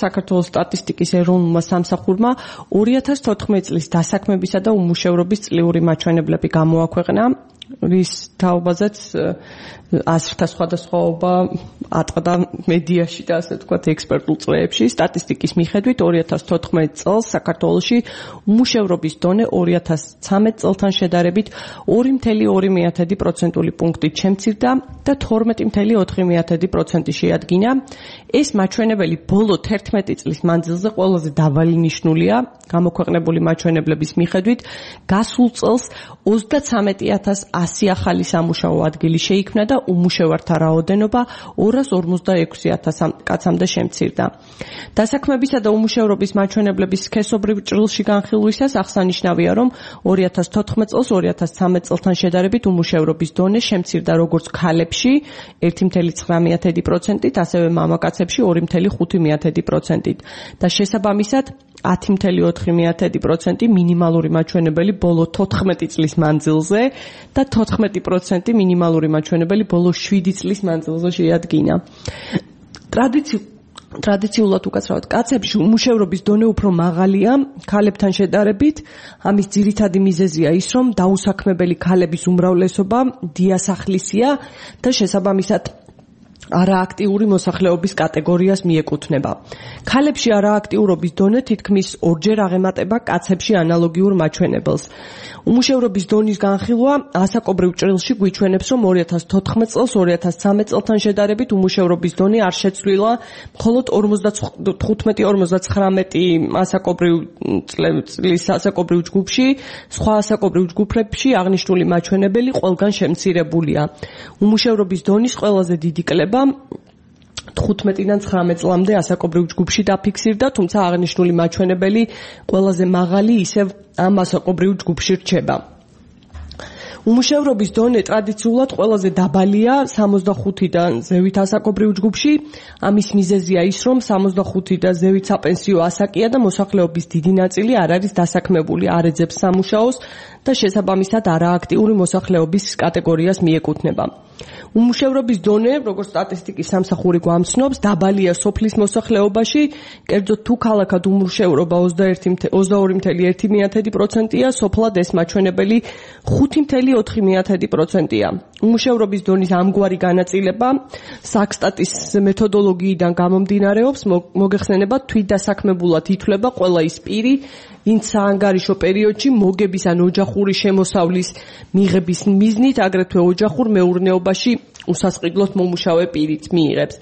საქართველოს სტატისტიკის ეროვნულმა სამსახურმა 2014 წლის დასაქმებისა და უმუშევრობის წლიური მაჩვენებლები გამოაქვეყნა, რის თაობაზეც აზრთა სხვადასხვაობა ატყდა მედიაში და ასე ვთქვათ ექსპერტულ წრეებში. სტატისტიკის მიხედვით 2014 წელს საქართველოში უმუშევრობის დონე 2013 წელთან შედარებით 2.2% პუნქტით შემცირდა და 12.4% შეადგინა. ეს მაჩვენებელი ბოლო 11 წლის მანძილზე ყველაზე დაბალი ნიშნულია. გამოქვეყნებული მაჩვენებლების მიხედვით გასულ წელს 33.100 ახალი სამუშაო ადგილი შეიქმნა და უმუშევართა რაოდენობა 246.000 კაცამდე შემცირდა. დასაქმებისა და უმუშევრობის მაჩვენებლების სქესობრივ ჭრილში განხილვისას აღსანიშნავია, რომ 2014 წელს 2013 წელთან შედარებით უმუშევრობის დონე შემცირდა როგორც ქალებში 1.9%-ით, ასევე მამაკაცებში 2.5%-ით და შესაბამისად 10.4% მინიმალური მაჩვენებელი ბოლო 14 წლის მანძილზე და 14% მინიმალური მაჩვენებელი ბოლო 7 წლის მანძილზე შეადგინა. ტრადიციულად უკაცრავად კაცებში უმუშევრობის დონე უფრო მაღალია ქალებთან შედარებით. ამის ძირითადი მიზეზია ის, რომ დაუსაქმებელი ქალების უმრავლესობა დიასახლისია და შესაბამისად არააქტიური მოსახლეობის კატეგორიას მიეკუთვნება. ქალებში არააქტიურობის დონე თითქმის 2-ჯერ აღემატება კაცებში ანალოგიურ მაჩვენებელს. უმუშევრობის დონის განხილვა ასაკობრივ ჭრილში გვიჩვენებს, რომ 2014 წელს 2013 წელთან შედარებით უმუშევრობის დონე არ შეცვლილა, მხოლოდ 55-59 ასაკობრივ წლის ასაკობრივ ჯგუფში, სხვა ასაკობრივ ჯგუფებში აღნიშნული მაჩვენებელი ყველგან შემცირებულია. უმუშევრობის დონის ყველაზე დიდი კლება 15-დან 19 წლამდე ასაკობრივ ჯგუფში დაფიქსირდა, თუმცა აღნიშნული მაჩვენებელი ყველაზე მაღალი ისევ ამ ასაკობრივ ჯგუფში რჩება. უმუშევრობის დონე ტრადიციულად ყველაზე დაბალია 65-დან ზევით ასაკობრივ ჯგუფში. ამის მიზეზია ის, რომ 65 და ზევით საპენსიო ასაკია და მოსახლეობის დიდი ნაწილი არ არის დასაქმებული, არ ეძებს სამუშაოს და შესაბამისად არააქტიური მოსახლეობის კატეგორიას მიეკუთვნება. უმუშევრობის დონე, როგორც სტატისტიკის სამსახური გვამცნობს, დაბალია სოფლის მოსახლეობაში, კერძოდ თუ ქალაქად უმუშევრობა 22.1%-ია, სოფლად ეს მაჩვენებელი 5.4%-ია. უმუშევრობის დონის ამგვარი განაწილება საქსტატის მეთოდოლოგიიდან გამომდინარეობს, მოგეხსენება თვითდასაქმებულად ითვლება ყველა ის პირი, ვინც საანგარიშო პერიოდში მოგების ან ოჯახური შემოსავლის მიღების მიზნით, აგრეთვე ოჯახურ მეურნეობაში უსასყიდლოდ მომუშავე პირიც მიიღებს.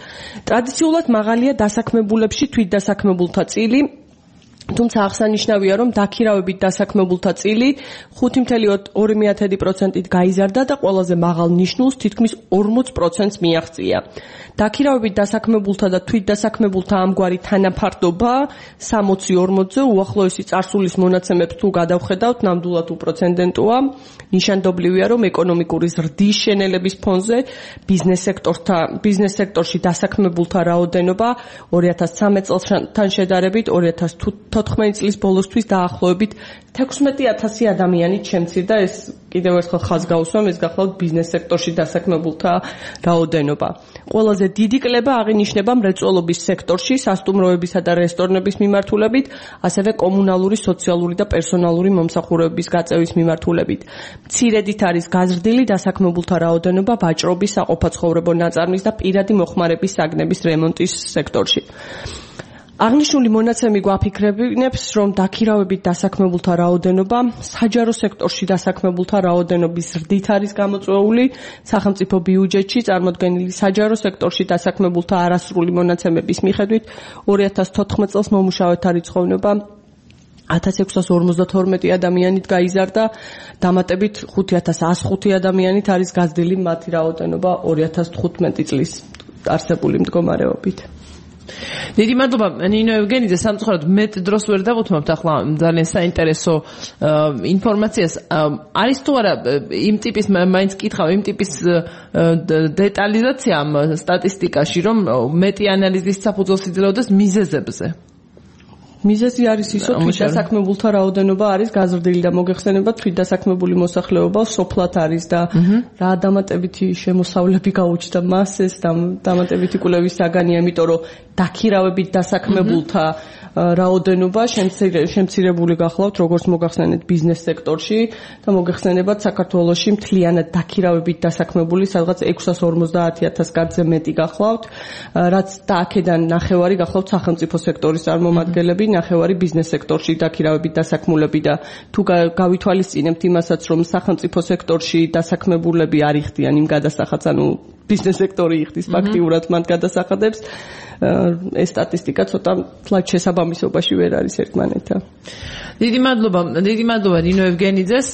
ტრადიციულად მაღალია დასაქმებულებში თვითდასაქმებულთა წილი, თუმცა აღსანიშნავია, რომ დაქირავებით დასაქმებულთა წილი 5.2%-ით გაიზარდა და ყველაზე მაღალ ნიშნულს თითქმის 40%-ს მიაღწია. დაქირავებით დასაქმებულთა და თვითდასაქმებულთა ამგვარი თანაფარდობა 60-40-ზე უახლოესი წარსულის მონაცემებს თუ გადავხედავთ, ნამდვილად უპროცენტენტოა. ნიშანდობლივია, რომ ეკონომიკური ზრდის შენელების ფონზე ბიზნეს სექტორში დასაქმებულთა რაოდენობა 2013 წელთან შედარებით 2014 წლის ბოლოსთვის დაახლოებით 16,000 ადამიანით შემცირდა. ეს კიდევ ერთხელ ხაზს გაუსვამ, ეს გახლავთ ბიზნეს სექტორში დასაქმებულთა რაოდენობა. ყველაზე დიდი კლება აღინიშნება მრეწველობის სექტორში, სასტუმროებისა და რესტორნების მიმართულებით, ასევე კომუნალური, სოციალური და პერსონალური მომსახურებების გაწევის მიმართულებით. მცირედით არის გაზრდილი დასაქმებულთა რაოდენობა ვაჭრობის, საყოფაცხოვრებო ნაწარმის და პირადი მოხმარების საგნების რემონტის სექტორში. აღნიშნული მონაცემი გვაფიქრებინებს, რომ დაქირავებით დასაქმებულთა რაოდენობა საჯარო სექტორში დასაქმებულთა რაოდენობის ზრდით არის გამოწვეული. სახელმწიფო ბიუჯეტში წარმოდგენილი საჯარო სექტორში დასაქმებულთა არასრული მონაცემების მიხედვით 2014 წელს მომუშავეთა რიცხოვნობა 1652 ადამიანით გაიზარდა, დამატებით 5105 ადამიანით არის გაზრდილი მათი რაოდენობა 2015 წლის არსებული მდგომარეობით. დიდი მადლობა ნინო ევგენიძე, სამწუხაროდ მეტ დროს ვერ დავუთმობთ ახლა ძალიან საინტერესო ინფორმაციას. არის თუ არა იმ ტიპის მაინც კითხავ, იმ ტიპის დეტალიზაცია ამ სტატისტიკაში, რომ მეტი ანალიზის საფუძველს იძლეოდეს მიზეზებზე? მიზეზი არის ის, რომ თვით დასაქმებულთა რაოდენობა არის გაზრდილი და მოგეხსენება თვით დასაქმებული მოსახლეობა სოფლად არის და რა დამატებითი შემოსავლები გაუჩნდა მას ეს დამატებითი კვლევის საგანია, იმიტომ რომ დაქირავებით დასაქმებულთა რაოდენობა შემცირებული გახლავთ როგორც მოგახსენეთ ბიზნეს სექტორში და მოგეხსენებათ საქართველოში მთლიანად დაქირავებით დასაქმებული სადღაც 650,000 კაცზე მეტი გახლავთ, რაც და აქედან ნახევარი გახლავთ სახელმწიფო სექტორის წარმომადგენლები, ნახევარი ბიზნეს სექტორში დაქირავებით დასაქმულები და თუ გავითვალისწინებთ იმასაც, რომ სახელმწიფო სექტორში დასაქმებულები არ იხდიან იმ გადასახადს, ანუ ბიზნეს სექტორი იხდის ფაქტიურად მათ გადასახადებს, ეს სტატისტიკა ცოტა თლად შესაბამისობაში ვერ არის ერთმანეთთან. დიდი მადლობა ნინო ევგენიძეს.